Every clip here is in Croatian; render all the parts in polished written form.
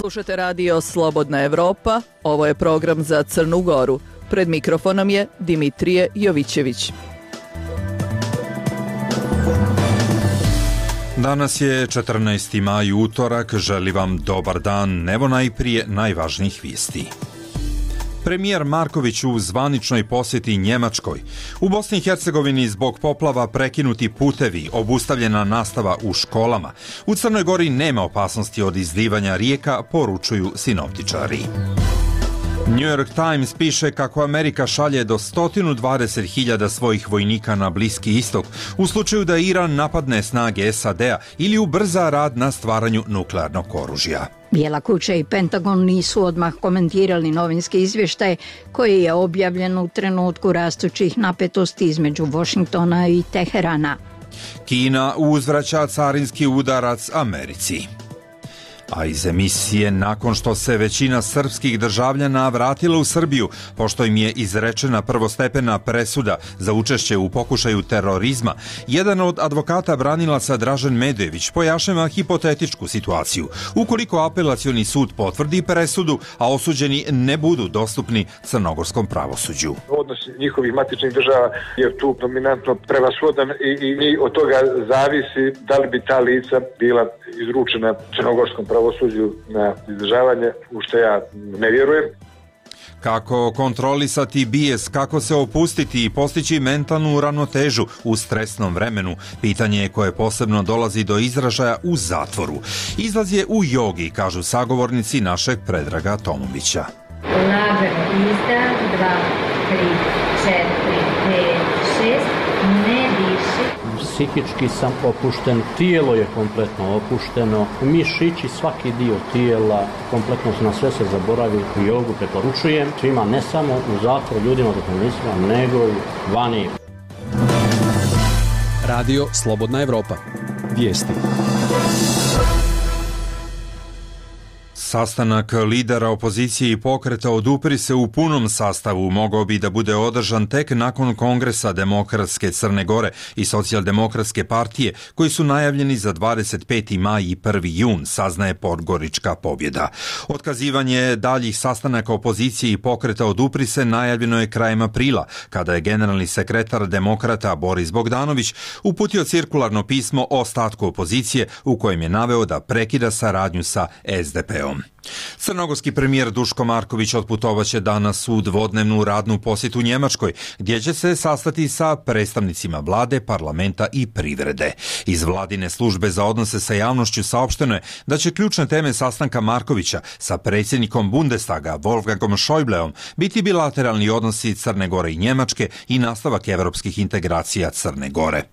Slušate radio Slobodna Evropa, ovo je program za Crnu Goru. Pred mikrofonom je Dimitrije Jovićević. Danas je 14. maj, utorak, želim vam dobar dan, evo najprije najvažnijih vijesti. Premijer Marković u zvaničnoj posjeti Njemačkoj. U Bosni i Hercegovini zbog poplava prekinuti putevi, obustavljena nastava u školama. U Crnoj Gori nema opasnosti od izlivanja rijeka, poručuju sinoptičari. New York Times piše kako Amerika šalje do 120.000 svojih vojnika na Bliski istok u slučaju da Iran napadne snage SAD-a ili ubrza rad na stvaranju nuklearnog oružja. Bijela kuća i Pentagon nisu odmah komentirali novinski izvještaj koji je objavljen u trenutku rastućih napetosti između Washingtona i Teherana. Kina uzvraća carinski udarac Americi. A iz emisije, nakon što se većina srpskih državljana vratila u Srbiju, pošto im je izrečena prvostepena presuda za učešće u pokušaju terorizma, jedan od advokata branilaca Dražen Medojević pojašnjava hipotetičku situaciju. Ukoliko apelacioni sud potvrdi presudu, a osuđeni ne budu dostupni crnogorskom pravosuđu. Odnos njihovih matičnih država je tu dominantno prevashodan i od toga zavisi da li bi ta lica bila izručena crnogorskom pravosuđu na izdržavanje, u što ja ne vjerujem. Kako kontrolisati bijes, kako se opustiti i postići mentalnu ravnotežu u stresnom vremenu, pitanje je koje posebno dolazi do izražaja u zatvoru. Izlaz je u jogi, kažu sagovornici našeg Predraga Tomovića. Lagano izdah, 2, 3, 4, 5, 6, ne diši. Psihički sam opušten, tijelo je kompletno opušteno, mišići, svaki dio tijela, kompletno na sve se zaboravi. U jogu preporučujem svima, ne samo u zatvoru ljudima dok nego i vani. Radio Slobodna Evropa. Vijesti. Sastanak lidera opozicije i pokreta Odupri se u punom sastavu mogao bi da bude održan tek nakon Kongresa Demokratske Crne Gore i Socijaldemokratske partije, koji su najavljeni za 25. maj i 1. jun, saznaje Podgorička pobjeda. Otkazivanje daljih sastanaka opozicije i pokreta Odupri se najavljeno je krajem aprila, kada je generalni sekretar demokrata Boris Bogdanović uputio cirkularno pismo o ostatku opozicije u kojem je naveo da prekida saradnju sa SDP-om. Crnogorski premijer Duško Marković otputovaće danas u dvodnevnu radnu posjetu Njemačkoj, gdje će se sastati sa predstavnicima vlade, parlamenta i privrede. Iz vladine službe za odnose sa javnošću saopšteno je da će ključne teme sastanka Markovića sa predsjednikom Bundestaga Wolfgangom Schäubleom biti bilateralni odnosi Crne Gore i Njemačke i nastavak evropskih integracija Crne Gore.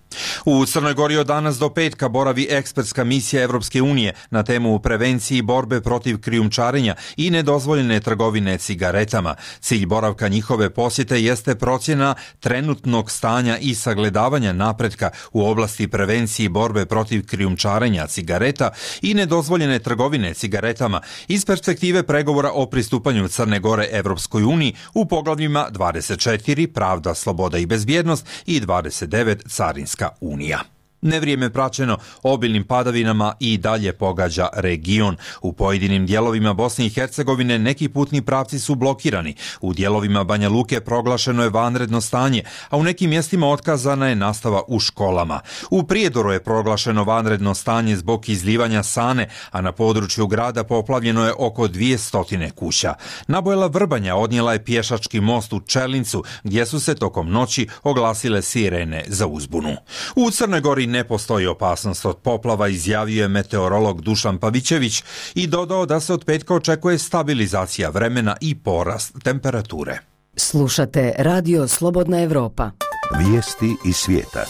U Crnoj Gori od danas do petka boravi ekspertska misija Evropske unije na temu prevenciji borbe protiv krijumčarenja i nedozvoljene trgovine cigaretama. Cilj boravka njihove posjete jeste procjena trenutnog stanja i sagledavanja napretka u oblasti prevencije borbe protiv krijumčarenja cigareta i nedozvoljene trgovine cigaretama iz perspektive pregovora o pristupanju Crne Gore Evropskoj uniji u poglavljima 24 pravda, sloboda i bezbjednost i 29 carinska unija. Nevrijeme praćeno obilnim padavinama i dalje pogađa region. U pojedinim dijelovima Bosne i Hercegovine neki putni pravci su blokirani. U dijelovima Banja Luke proglašeno je vanredno stanje, a u nekim mjestima otkazana je nastava u školama. U Prijedoru je proglašeno vanredno stanje zbog izljivanja Sane, a na području grada poplavljeno je oko 200 kuća. Nabojela Vrbanja odnijela je pješački most u Čelincu, gdje su se tokom noći oglasile sirene za uzbunu. U Crnoj Gori ne postoji opasnost od poplava, izjavio je meteorolog Dušan Pavićević i dodao da se od petka očekuje stabilizacija vremena i porast temperature. Slušate Radio Slobodna Evropa. Vijesti iz svijeta.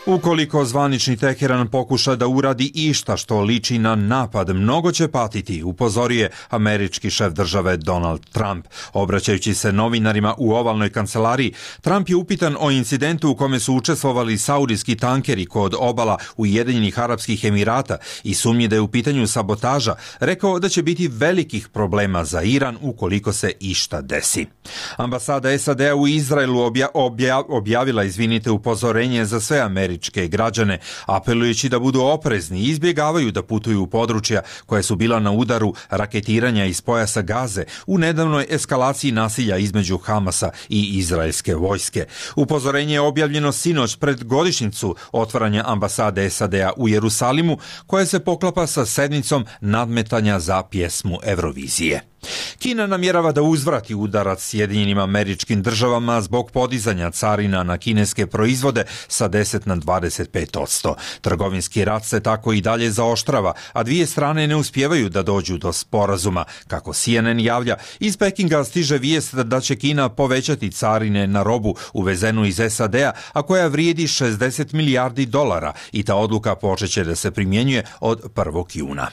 Ukoliko zvanični Teheran pokuša da uradi išta što liči na napad, mnogo će patiti, upozorio je američki šef države Donald Trump. Obraćajući se novinarima u ovalnoj kancelariji, Trump je upitan o incidentu u kome su učestvovali saudijski tankeri kod obala Ujedinjenih Arapskih Emirata i sumnji da je u pitanju sabotaža, rekao da će biti velikih problema za Iran ukoliko se išta desi. Ambasada SAD-a u Izraelu objavila upozorenje za sve američke američke građane, apelujući da budu oprezni i izbjegavaju da putuju u područja koja su bila na udaru raketiranja iz pojasa Gaze u nedavnoj eskalaciji nasilja između Hamasa i izraelske vojske. Upozorenje je objavljeno sinoć pred godišnjicu otvaranja ambasade SAD-a u Jerusalimu, koja se poklapa sa sedmicom nadmetanja za pjesmu Eurovizije. Kina namjerava da uzvrati udarac Sjedinjenim Američkim Državama zbog podizanja carina na kineske proizvode sa 10 na 25%. Trgovinski rat se tako i dalje zaoštrava, a dvije strane ne uspijevaju da dođu do sporazuma. Kako CNN javlja, iz Pekinga stiže vijest da će Kina povećati carine na robu uvezenu iz SAD-a, a koja vrijedi $60 milijardi i ta odluka počeće da se primjenjuje od 1. juna.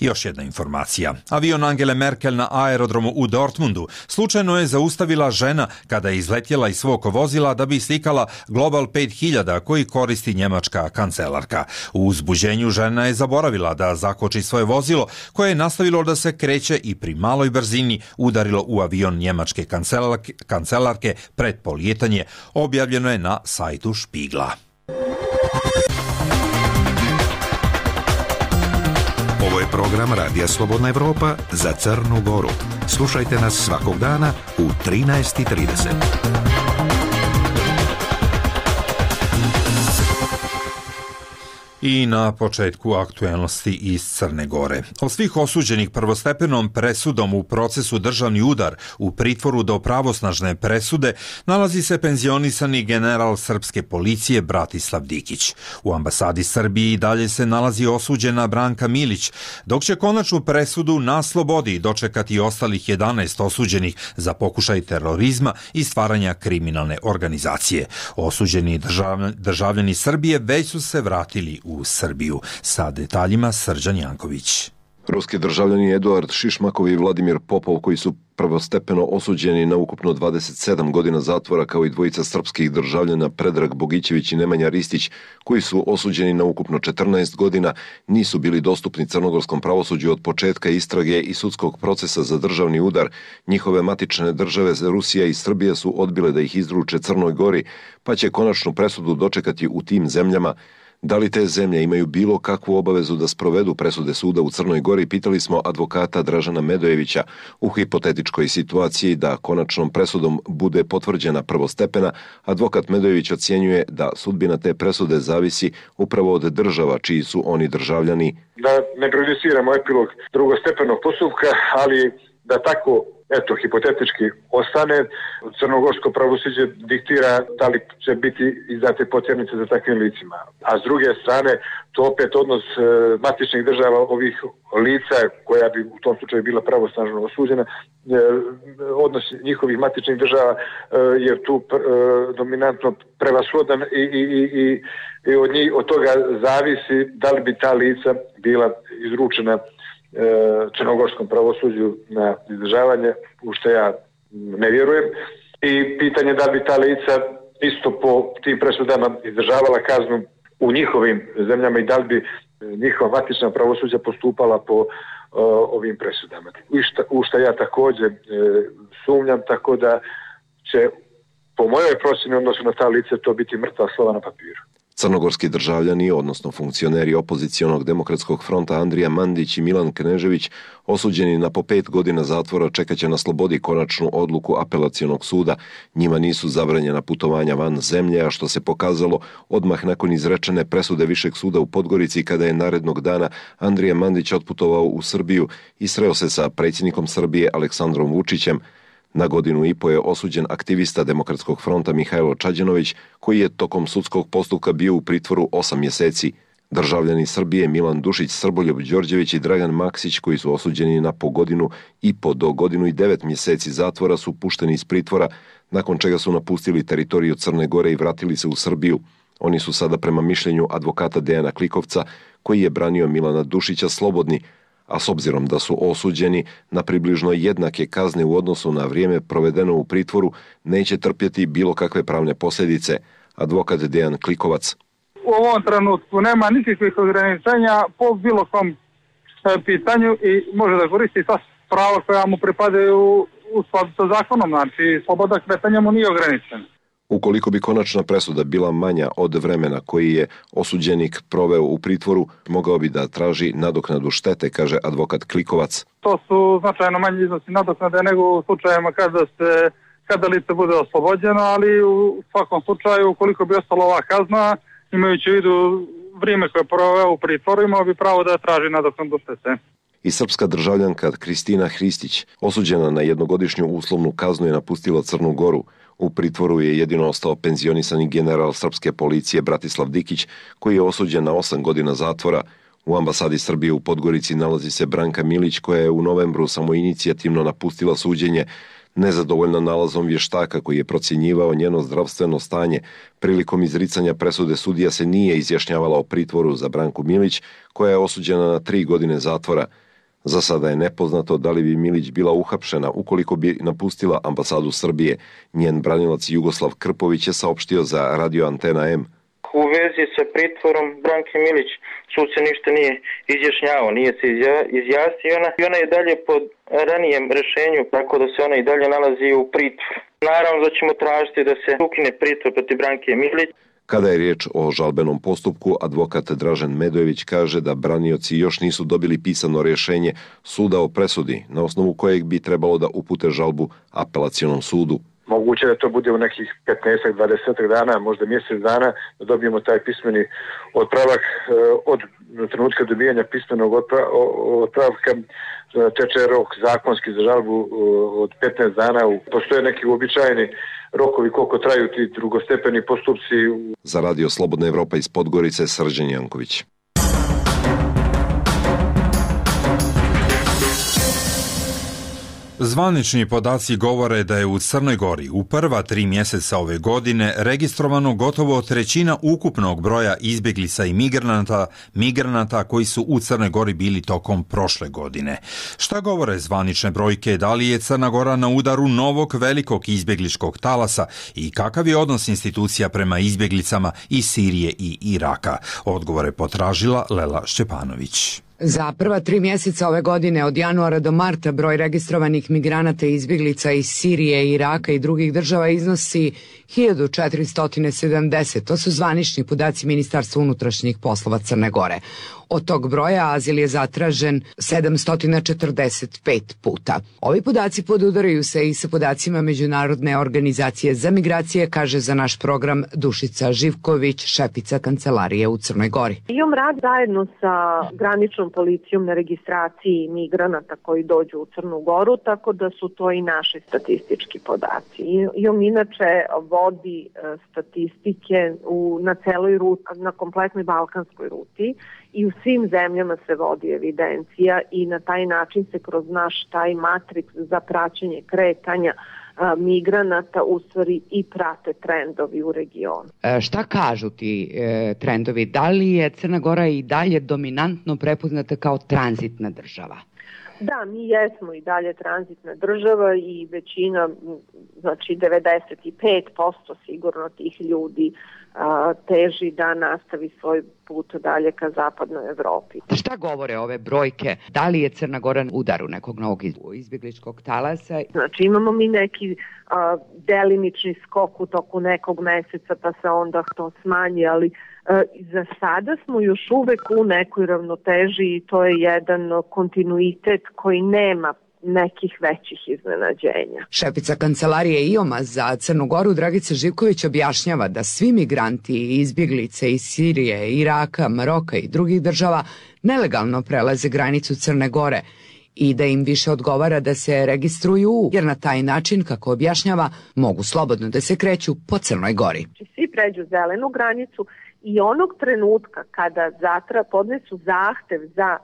Još jedna informacija. Avion Angele Merkel na aerodromu u Dortmundu slučajno je zaustavila žena kada je izletjela iz svog vozila da bi slikala Global 5000 koji koristi njemačka kancelarka. U uzbuđenju žena je zaboravila da zakoči svoje vozilo koje je nastavilo da se kreće i pri maloj brzini udarilo u avion njemačke kancelarke pred polijetanje, objavljeno je na sajtu Špigla. Ovo je program Radija Slobodna Evropa za Crnu Goru. Slušajte nas svakog dana u 13:30. I na početku aktuelnosti iz Crne Gore. Od svih osuđenih prvostepenom presudom u procesu državni udar u pritvoru do pravosnažne presude nalazi se penzionisani general srpske policije Bratislav Dikić. U ambasadi Srbije i dalje se nalazi osuđena Branka Milić, dok će konačnu presudu na slobodi dočekati ostalih 11 osuđenih za pokušaj terorizma i stvaranja kriminalne organizacije. Osuđeni državljani Srbije već su se vratili u Srbiju. Sa detaljima Srđan Janković. Ruski državljani Eduard Šišmakov i Vladimir Popov, koji su prvostepeno osuđeni na ukupno 27 godina zatvora, kao i dvojica srpskih državljana Predrag Bogićević i Nemanja Ristić, koji su osuđeni na ukupno 14 godina, nisu bili dostupni crnogorskom pravosuđu od početka istrage i sudskog procesa za državni udar. Njihove matične države Rusija i Srbija su odbile da ih izruče Crnoj Gori, pa će konačnu presudu dočekati u tim zemljama. Da li te zemlje imaju bilo kakvu obavezu da sprovedu presude suda u Crnoj Gori, pitali smo advokata Dražana Medojevića. U hipotetičkoj situaciji da konačnom presudom bude potvrđena prvostepena, advokat Medojević ocjenjuje da sudbina te presude zavisi upravo od država čiji su oni državljani. Da ne prejudiciramo epilog drugostepenog postupka, ali da tako hipotetički ostane, crnogorsko pravosuđe diktira da li će biti izdate potjernice za takvim licima. A s druge strane, to opet odnos matičnih država ovih lica, koja bi u tom slučaju bila pravosnažno osuđena, odnos njihovih matičnih država je tu dominantno prevashodan i od toga zavisi da li bi ta lica bila izručena crnogorskom pravosuđu na izdržavanje, u što ja ne vjerujem, i pitanje da bi ta lica isto po tim presudama izdržavala kaznu u njihovim zemljama i da li bi njihova matična pravosuđa postupala po ovim presudama. U što ja također sumnjam, tako da će po mojoj procjeni odnosu na ta lica to biti mrtva slova na papiru. Crnogorski državljani, odnosno funkcioneri opozicionog demokratskog fronta Andrija Mandić i Milan Knežević, osuđeni na po 5 godina zatvora, čekaće na slobodi konačnu odluku apelacionog suda. Njima nisu zabranjena putovanja van zemlje, a što se pokazalo odmah nakon izrečene presude Višeg suda u Podgorici, kada je narednog dana Andrija Mandić otputovao u Srbiju i sreo se sa predsjednikom Srbije Aleksandrom Vučićem. Na 1,5 godine je osuđen aktivista Demokratskog fronta Mihajlo Čađanović, koji je tokom sudskog postupka bio u pritvoru 8 mjeseci. Državljani Srbije Milan Dušić, Srboljub Đorđević i Dragan Maksić, koji su osuđeni na po 1,5 godine do 1 godinu i 9 mjeseci zatvora, su pušteni iz pritvora, nakon čega su napustili teritoriju Crne Gore i vratili se u Srbiju. Oni su sada, prema mišljenju advokata Dejana Klikovca, koji je branio Milana Dušića, slobodni, a s obzirom da su osuđeni na približno jednake kazne u odnosu na vrijeme provedeno u pritvoru, neće trpjeti bilo kakve pravne posljedice. Advokat Dejan Klikovac. U ovom trenutku nema nikakvih ograničenja po bilo kom pitanju i može da koristi sva prava koja mu pripadaju u skladu sa zakonom, znači sloboda kretanja mu nije ograničena. Ukoliko bi konačna presuda bila manja od vremena koji je osuđenik proveo u pritvoru, mogao bi da traži nadoknadu štete, kaže advokat Klikovac. To su značajno manji iznosi nadoknade nego u slučajevima kada lice bude oslobođeno, ali u svakom slučaju ukoliko bi ostala ova kazna, imajući u vidu vrijeme koje je proveo u pritvoru, imao bi pravo da traži nadoknadu štete. I srpska državljanka Kristina Hristić, osuđena na jednogodišnju uslovnu kaznu, je napustila Crnu Goru. U pritvoru je jedino ostao penzionisani general srpske policije Bratislav Dikić, koji je osuđen na 8 godina zatvora. U ambasadi Srbije u Podgorici nalazi se Branka Milić, koja je u novembru samoinicijativno napustila suđenje. Nezadovoljna nalazom vještaka koji je procjenjivao njeno zdravstveno stanje, prilikom izricanja presude sudija se nije izjašnjavala o pritvoru za Branku Milić, koja je osuđena na 3 godine zatvora. Za sada je nepoznato da li bi Milić bila uhapšena ukoliko bi napustila ambasadu Srbije. Njen branilac Jugoslav Krpović je saopštio za Radio Antena M. U vezi sa pritvorom Branke Milić sud se ništa nije izjašnjavao, nije se izjasnio i ona je dalje pod ranijem rješenju, tako da se ona i dalje nalazi u pritvoru. Naravno da ćemo tražiti da se ukine pritvor protiv Branke Milić. Kada je riječ o žalbenom postupku, advokat Dražen Medojević kaže da branioci još nisu dobili pisano rješenje suda o presudi, na osnovu kojeg bi trebalo da upute žalbu apelacionom sudu. Moguće da to bude u nekih 15-20 dana, možda mjesec dana, da dobijemo taj pismeni otpravak. Od trenutka dobijanja pismenog otpravka teče rok zakonski za žalbu od 15 dana. Postoje neki uobičajeni rokovi koliko traju ti drugostepeni postupci. Za Radio Slobodna Evropa iz Podgorice, Srđan Janković. Zvanični podaci govore da je u Crnoj Gori u prva 3 mjeseca ove godine registrovano gotovo trećina ukupnog broja izbjeglica i migranata koji su u Crnoj Gori bili tokom prošle godine. Šta govore zvanične brojke, da li je Crna Gora na udaru novog velikog izbjegličkog talasa i kakav je odnos institucija prema izbjeglicama iz Sirije i Iraka? Odgovore potražila Lela Šćepanović. Za prva 3 mjeseca ove godine, od januara do marta, broj registrovanih migranata i izbjeglica iz Sirije, Iraka i drugih država iznosi 1470. To su zvanični podaci Ministarstva unutrašnjih poslova Crne Gore. Od tog broja azil je zatražen 745 puta. Ovi podaci podudaraju se i sa podacima Međunarodne organizacije za migracije, kaže za naš program Dušica Živković, šefica kancelarije u Crnoj Gori. Imam rad zajedno sa graničnom policijom na registraciji migranata koji dođu u Crnu Goru, tako da su to i naši statistički podaci. Imam inače vodi statistike na celoj ruti, na kompletnoj balkanskoj ruti, i u svim zemljama se vodi evidencija i na taj način se kroz naš taj matriks za praćenje kretanja migranata u stvari i prate trendovi u regionu. Šta kažu ti trendovi? Da li je Crna Gora i dalje dominantno prepoznata kao tranzitna država? Da, mi jesmo i dalje tranzitna država i većina, znači 95% sigurno tih ljudi teži da nastavi svoj put dalje ka zapadnoj Evropi. Šta govore ove brojke? Da li je Crna Gora u udaru nekog novog izbjegličkog talasa? Znači imamo mi neki delimični skok u toku nekog mjeseca pa se onda to smanji, ali za sada smo još uvek u nekoj ravnoteži i to je jedan kontinuitet koji nema nekih većih iznenađenja. Šefica kancelarije IOM-a za Crnu Goru Dragica Živković objašnjava da svi migranti i izbjeglice iz Sirije, Iraka, Maroka i drugih država nelegalno prelaze granicu Crne Gore i da im više odgovara da se registruju, jer na taj način, kako objašnjava, mogu slobodno da se kreću po Crnoj Gori. Svi pređu zelenu granicu i onog trenutka kada podnesu zahtev za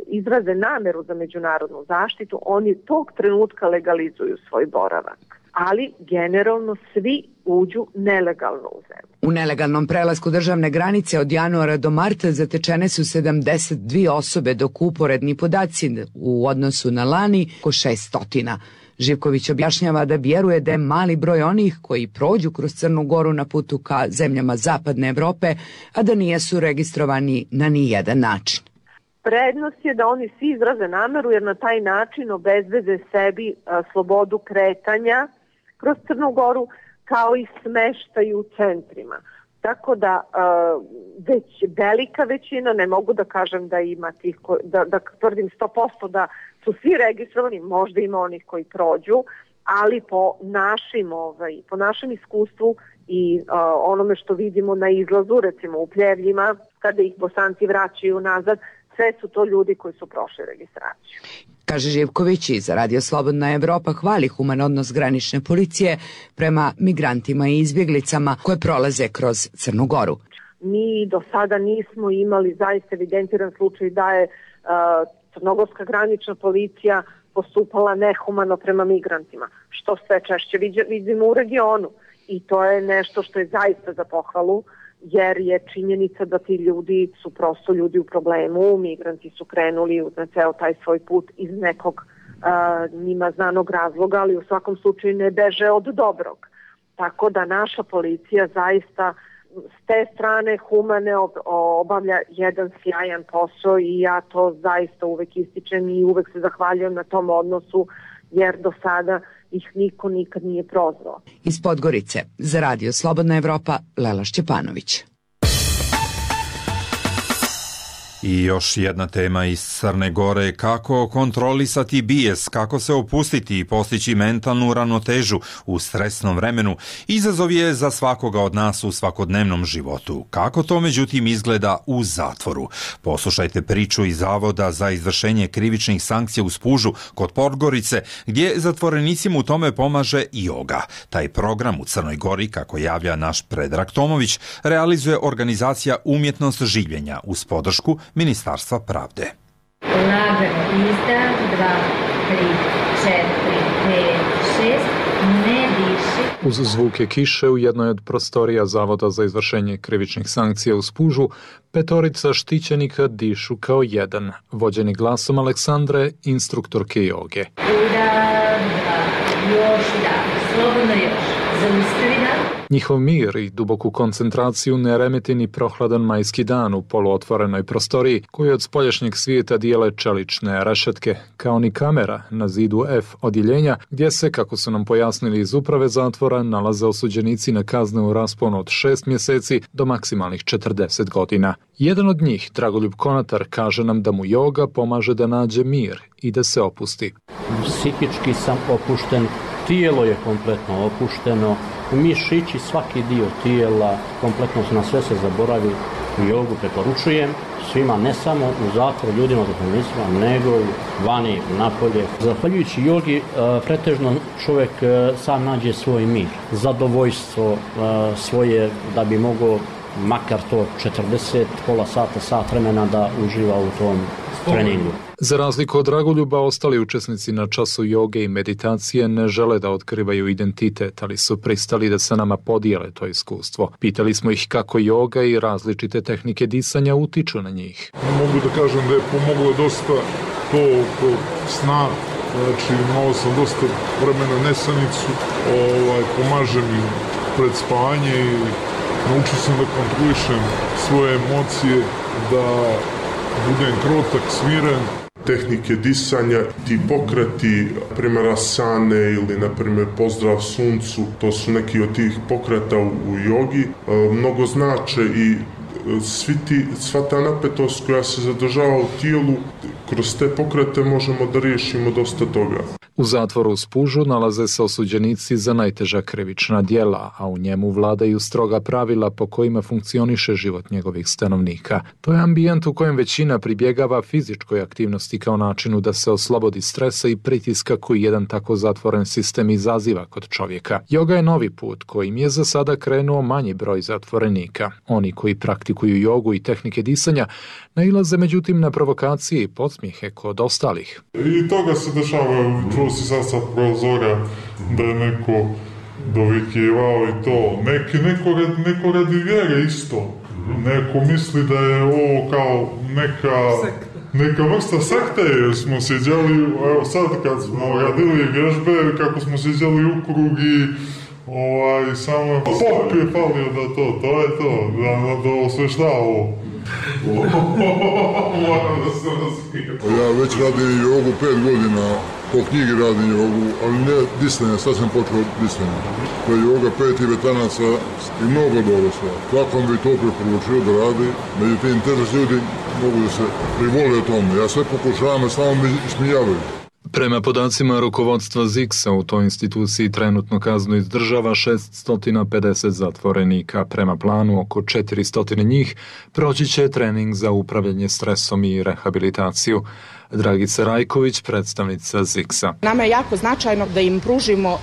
izraze nameru za međunarodnu zaštitu, oni tog trenutka legalizuju svoj boravak. Ali generalno svi uđu nelegalno u zemlju. U nelegalnom prelasku državne granice od januara do marta zatečene su 72 osobe, dok uporedni podaci u odnosu na lani oko 600. Živković objašnjava da vjeruje da je mali broj onih koji prođu kroz Crnu Goru na putu ka zemljama zapadne Evrope, a da nijesu registrovani na nijedan način. Prednost je da oni svi izraze nameru jer na taj način obezbede sebi slobodu kretanja kroz Crnu Goru, kao i smeštaj u centrima. Tako da već velika većina, ne mogu da kažem da ima tih, da tvrdim 100% da su svi registrovani, možda ima onih koji prođu, ali po našem iskustvu i onome što vidimo na izlazu, recimo u Pljevljima, kada ih Bosanci vraćaju nazad, sve su to ljudi koji su prošli registraciju. Kaže Živković i za Radio Slobodna Evropa hvali human odnos granične policije prema migrantima i izbjeglicama koje prolaze kroz Crnu Goru. Mi do sada nismo imali zaista evidentiran slučaj da je crnogorska granična policija postupala nehumano prema migrantima, što sve češće vidimo u regionu. I to je nešto što je zaista za pohvalu, jer je činjenica da ti ljudi su prosto ljudi u problemu, migranti su krenuli na ceo taj svoj put iz nekog njima znanog razloga, ali u svakom slučaju ne beže od dobrog. Tako da naša policija zaista s te strane humane obavlja jedan sjajan posao i ja to zaista uvek ističem i uvek se zahvaljujem na tom odnosu, jer do sada ih niko nikad nije prozvao. Iz Podgorice, za Radio Slobodna Evropa, Lela Šćepanović. I još jedna tema iz Crne Gore, kako kontrolisati bijes, kako se opustiti i postići mentalnu ravnotežu u stresnom vremenu, izazov je za svakoga od nas u svakodnevnom životu. Kako to međutim izgleda u zatvoru? Poslušajte priču iz Zavoda za izvršenje krivičnih sankcija u Spužu kod Podgorice, gdje zatvorenicima u tome pomaže joga. Taj program u Crnoj Gori, kako javlja naš Predrag Tomović, realizuje organizacija Umjetnost življenja uz podršku Ministarstva pravde. Lagano izdah, 2, 3, 4, 5, 6, ne diši. Uz zvuke kiše u jednoj od prostorija Zavoda za izvršenje krivičnih sankcija u Spužu, petorica štićenika dišu kao jedan, vođeni glasom Aleksandre, instruktorke joge. Udah, 2, još da, slobodno još, zaustavi da. Njihov mir i duboku koncentraciju ne remeti ni prohladan majski dan u poluotvorenoj prostoriji, koju od spoljašnjeg svijeta dijele čelične rešetke, kao ni kamera na zidu F odjeljenja, gdje se, kako su nam pojasnili iz uprave zatvora, nalaze osuđenici na kazne u rasponu od 6 mjeseci do maksimalnih 40 godina. Jedan od njih, Dragoljub Konatar, kaže nam da mu joga pomaže da nađe mir i da se opusti. Psihički sam opušten, tijelo je kompletno opušteno, mišići, svaki dio tijela, kompletno na sve se zaboravi. Jogu preporučujem svima, ne samo u zatvoru, ljudima, zatvorenicima, nego i vani, napolje. Zahvaljujući jogi, pretežno čovjek sam nađe svoj mir, zadovoljstvo svoje, da bi mogao makar to 40, pola sata, sat vremena da uživa u tom treningu. Za razliku od Dragoljuba, ostali učesnici na času joge i meditacije ne žele da otkrivaju identitet, ali su pristali da se nama podijele to iskustvo. Pitali smo ih kako joga i različite tehnike disanja utiču na njih. Mogu da kažem da je pomoglo dosta to oko sna, znači imao sam dosta vremena nesanicu, pomaže mi pred spanje i naučio sam da kontrolišem svoje emocije, da budem krotak, smiren. Tehnike disanja, ti pokreti, primjer asane ili na primjer pozdrav suncu, to su neki od tih pokreta u jogi, mnogo znače i sva ta napetost koja se zadržava u tijelu, kroz te pokrete možemo da riješimo dosta toga. U zatvoru u Spužu nalaze se osuđenici za najteža krivična djela, a u njemu vladaju stroga pravila po kojima funkcioniše život njegovih stanovnika. To je ambijent u kojem većina pribjegava fizičkoj aktivnosti kao načinu da se oslobodi stresa i pritiska koji jedan tako zatvoren sistem izaziva kod čovjeka. Joga je novi put kojim je za sada krenuo manji broj zatvorenika. Oni koji praktikuju jogu i tehnike disanja nailaze međutim na provokacije i podsmijehe kod ostalih. I toga se dešava, čuo si sad sa prozora da je neko dovikivao i to. Neko radi vjere isto. Neko misli da je ovo kao neka vrsta sekte, jer smo sjeđali, evo sad kad smo radili vježbe, kako smo sjeđali u krug i samo pop je falio da to je to, da osvešta ovo. Moram da se razmijem. Ja već radim jogu 5 godina, po knjigi radim jogu, ali ne disanje, sad sam počeo disanje. To je joga 5 tibetanaca i mnogo dobro sve. Svakom bi to preporučio da radi, međutim, teže ljudi mogu da se privole o tome. Ja sve pokušavam, samo mi smijavaju. Prema podacima rukovodstva ZIKS-a u toj instituciji trenutno kaznu izdržava 650 zatvorenika. Prema planu oko 400 njih proći će trening za upravljanje stresom i rehabilitaciju. Dragica Rajković, predstavnica ZIKS-a. Nama je jako značajno da im pružimo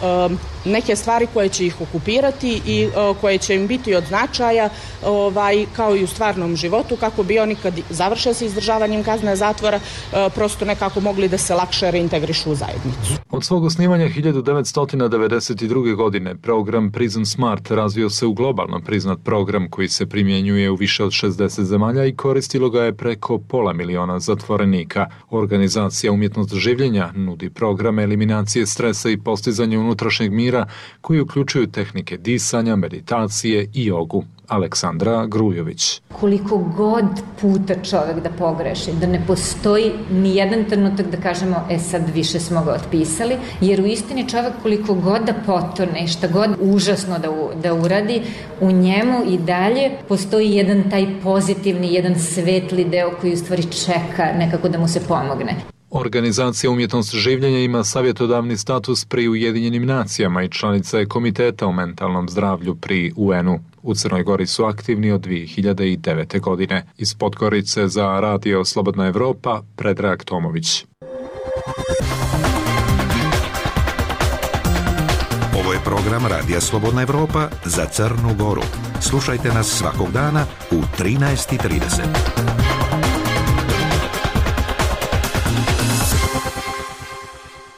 neke stvari koje će ih okupirati i koje će im biti od značaja kao i u stvarnom životu, kako bi oni kad završe sa izdržavanjem kazne zatvora prosto nekako mogli da se lakše reintegrišu u zajednicu. Od svog osnivanja 1992. godine program Prison Smart razvio se u globalno priznat program koji se primjenjuje u više od 60 zemalja i koristilo ga je preko 500.000 zatvorenika. Organizacija Umjetnost življenja nudi programe eliminacije stresa i postizanja unutrašnjeg mira koji uključuju tehnike disanja, meditacije i jogu. Aleksandra Grujović. Koliko god puta čovjek da pogreši, da ne postoji ni jedan trenutak da kažemo sad više smo ga otpisali, jer u istini čovjek koliko god da potone, šta god užasno da uradi, u njemu i dalje postoji jedan taj pozitivni, jedan svetli deo koji u stvari čeka nekako da mu se pomogne. Organizacija Umjetnost življenja ima savjetodavni status pri Ujedinjenim nacijama i članica je Komiteta o mentalnom zdravlju pri UN-u. U Crnoj Gori su aktivni od 2009. godine. Iz Podgorice za Radio Slobodna Evropa, Predrag Tomović. Ovo je program Radija Slobodna Evropa za Crnu Goru. Slušajte nas svakog dana u 13:30.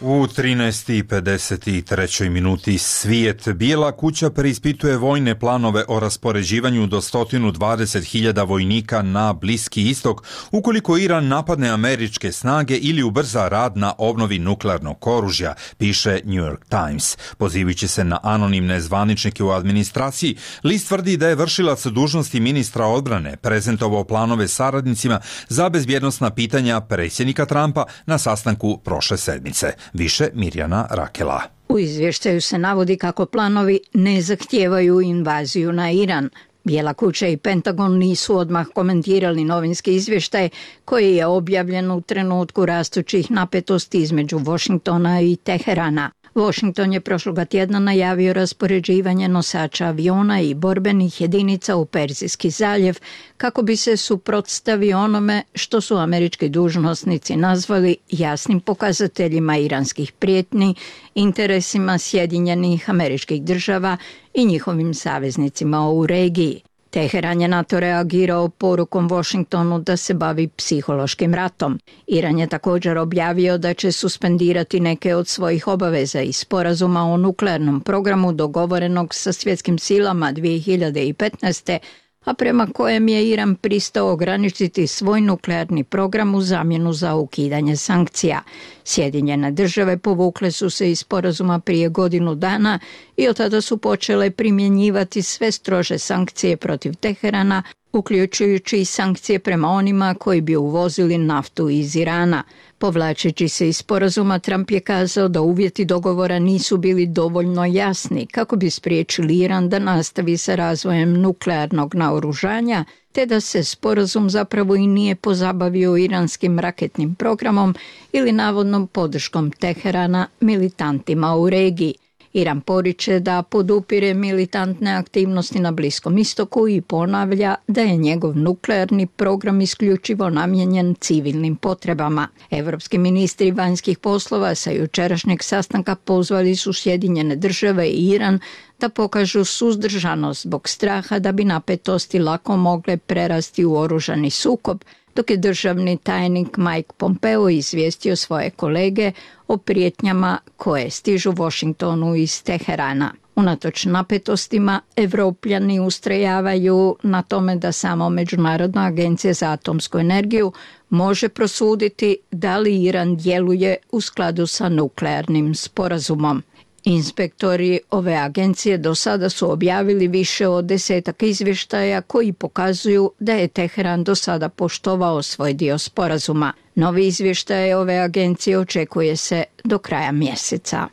U 13:53 minuti svijet. Bijela kuća preispituje vojne planove o raspoređivanju do 120.000 vojnika na Bliski istok ukoliko Iran napadne američke snage ili ubrza rad na obnovi nuklearnog oružja, piše New York Times. Pozivajući se na anonimne zvaničnike u administraciji, list tvrdi da je vršilac dužnosti ministra odbrane prezentovao planove saradnicima za bezbjednosna pitanja predsjednika Trumpa na sastanku prošle sedmice. Više Mirjana Rakela. U izvještaju se navodi kako planovi ne zahtijevaju invaziju na Iran. Bijela kuća i Pentagon nisu odmah komentirali novinski izvještaj koji je objavljen u trenutku rastućih napetosti između Washingtona i Teherana. Washington je prošloga tjedna najavio raspoređivanje nosača aviona i borbenih jedinica u Perzijski zaljev kako bi se suprotstavio onome što su američki dužnosnici nazvali jasnim pokazateljima iranskih prijetnji, interesima Sjedinjenih Američkih Država i njihovim saveznicima u regiji. Teheran je na to reagirao porukom Washingtonu da se bavi psihološkim ratom. Iran je također objavio da će suspendirati neke od svojih obaveza i sporazuma o nuklearnom programu dogovorenog sa svjetskim silama 2015. a prema kojem je Iran pristao ograničiti svoj nuklearni program u zamjenu za ukidanje sankcija. Sjedinjene države povukle su se iz sporazuma prije godinu dana i od tada su počele primjenjivati sve strože sankcije protiv Teherana, uključujući i sankcije prema onima koji bi uvozili naftu iz Irana. Povlačeći se iz sporazuma, Trump je kazao da uvjeti dogovora nisu bili dovoljno jasni kako bi spriječili Iran da nastavi sa razvojem nuklearnog naoružanja, te da se sporazum zapravo i nije pozabavio iranskim raketnim programom ili navodnom podrškom Teherana militantima u regiji. Iran poriče da podupire militantne aktivnosti na Bliskom istoku i ponavlja da je njegov nuklearni program isključivo namijenjen civilnim potrebama. Evropski ministri vanjskih poslova sa jučerašnjeg sastanka pozvali su Sjedinjene države i Iran da pokažu suzdržanost zbog straha da bi napetosti lako mogle prerasti u oružani sukob, dok je državni tajnik Mike Pompeo izvijestio svoje kolege o prijetnjama koje stižu Washingtonu iz Teherana. Unatoč napetostima, Evropljani ustrajavaju na tome da samo Međunarodna agencija za atomsku energiju može prosuditi da li Iran djeluje u skladu sa nuklearnim sporazumom. Inspektori ove agencije do sada su objavili više od 10 izvještaja koji pokazuju da je Teheran do sada poštovao svoj dio sporazuma. Novi izvještaj ove agencije očekuje se do kraja mjeseca.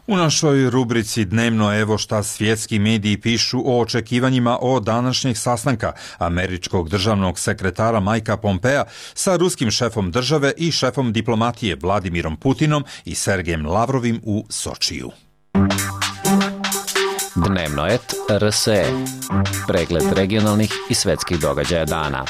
U našoj rubrici Dnevno evo šta svjetski mediji pišu o očekivanjima o današnjeg sastanka američkog državnog sekretara Mikea Pompea sa ruskim šefom države i šefom diplomatije Vladimirom Putinom i Sergejem Lavrovim u Sočiju. Dnevno et RSE. Pregled regionalnih i svetskih događaja dana.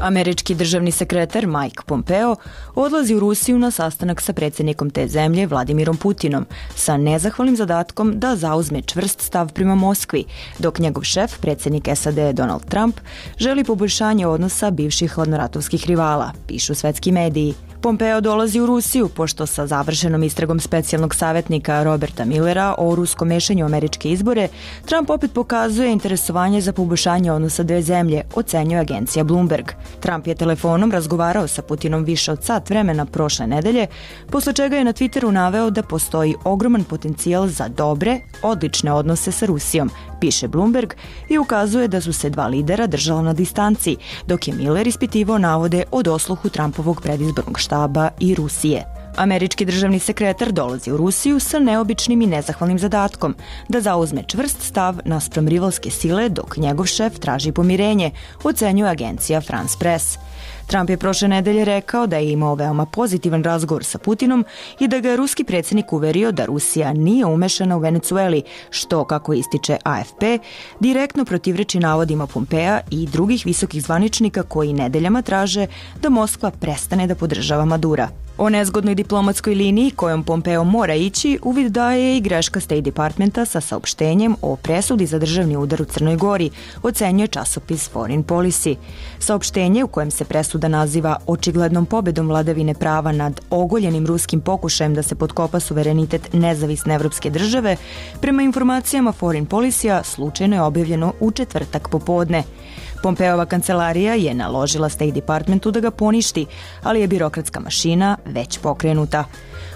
Američki državni sekretar Mike Pompeo odlazi u Rusiju na sastanak sa predsjednikom te zemlje Vladimirom Putinom sa nezahvalnim zadatkom da zauzme čvrst stav prema Moskvi, dok njegov šef, predsjednik SAD Donald Trump, želi poboljšanje odnosa bivših hladnoratovskih rivala, pišu svetski mediji. Pompeo dolazi u Rusiju pošto sa završenom istragom specijalnog savjetnika Roberta Millera o ruskom mešanju u američke izbore, Trump opet pokazuje interesovanje za poboljšanje odnosa dve zemlje, ocenjuje agencija Bloomberg. Trump je telefonom razgovarao sa Putinom više od sat vremena prošle nedelje, posle čega je na Twitteru naveo da postoji ogroman potencijal za dobre, odlične odnose sa Rusijom, piše Bloomberg, i ukazuje da su se dva lidera držala na distanci, dok je Miller ispitivao navode o dosluhu Trumpovog predizbornog štaba i Rusije. Američki državni sekretar dolazi u Rusiju sa neobičnim i nezahvalnim zadatkom da zauzme čvrst stav naspram rivalske sile, dok njegov šef traži pomirenje, ocenjuje agencija France Press. Trump je prošle nedelje rekao da je imao veoma pozitivan razgovor sa Putinom i da ga je ruski predsjednik uverio da Rusija nije umešana u Venecueli, što, kako ističe AFP, direktno protivreči navodima Pompea i drugih visokih zvaničnika koji nedeljama traže da Moskva prestane da podržava Madura. O nezgodnoj diplomatskoj liniji kojom Pompeo mora ići uvid daje i greška State Departmenta sa saopštenjem o presudi za državni udar u Crnoj Gori, ocenjuje časopis Foreign Policy. Saopštenje u kojem se presuda naziva očiglednom pobedom vladavine prava nad ogoljenim ruskim pokušajem da se potkopa suverenitet nezavisne evropske države, prema informacijama Foreign Policy-a slučajno je objavljeno u četvrtak popodne. Pompeova kancelarija je naložila State Departmentu da ga poništi, ali je birokratska mašina već pokrenuta.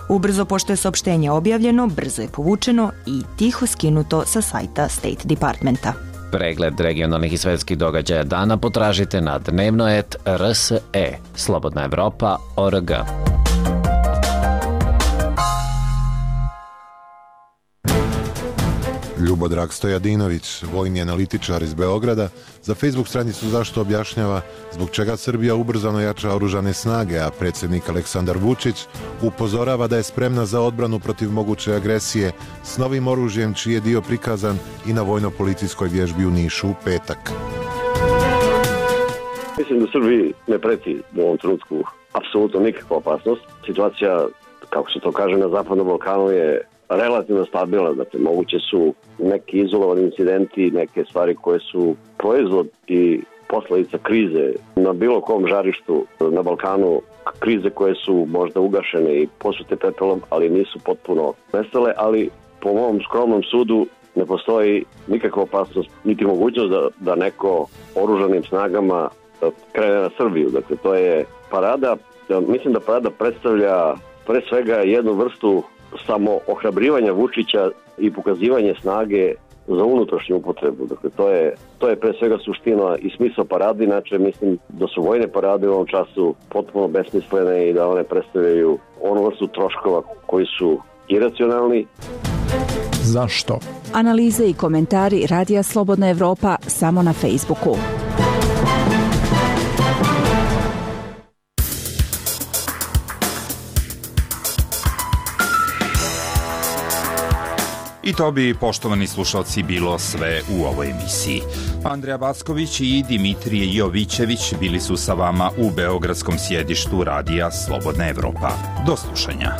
Ubrzo pošto je saopštenje objavljeno, brzo je povučeno i tiho skinuto sa sajta State Departmenta. Pregled regionalnih i svetskih događaja dana potražite na dnevno.rs.e, Slobodna Evropa.org. Ljubodrag Stojadinović, vojni analitičar iz Beograda, za Facebook stranicu Zašto objašnjava zbog čega Srbija ubrzano jača oružane snage, a predsjednik Aleksandar Vučić upozorava da je spremna za odbranu protiv moguće agresije s novim oružjem čiji je dio prikazan i na vojno-policijskoj vježbi u Nišu u petak. Mislim da Srbiji ne preti u ovom trenutku apsolutno nikakva opasnost. Situacija, kako se to kaže, na Zapadnom Balkanu je relativno stabilna, dakle moguće su neki izolovani incidenti, neke stvari koje su proizvod i posledica krize na bilo kom žarištu na Balkanu, krize koje su možda ugašene i posute pepelom, ali nisu potpuno nestale, ali po mom skromnom sudu ne postoji nikakva opasnost, niti mogućnost da neko oružanim snagama krene na Srbiju. Dakle, to je parada. Mislim da parada predstavlja pre svega jednu vrstu samo ohrabrivanja Vučića i pokazivanje snage za unutrašnju upotrebu. Dakle, to je pre svega suština i smisao parade, inače mislim da su vojne parade u ovom času potpuno besmislene i da one predstavljaju onu vrstu troškova koji su iracionalni. Zašto? Analize i komentari Radija Slobodna Evropa samo na Facebooku. I to bi, poštovani slušalci, bilo sve u ovoj emisiji. Andreja Backović i Dimitrije Jovićević bili su sa vama u beogradskom sjedištu Radija Slobodna Evropa. Do slušanja.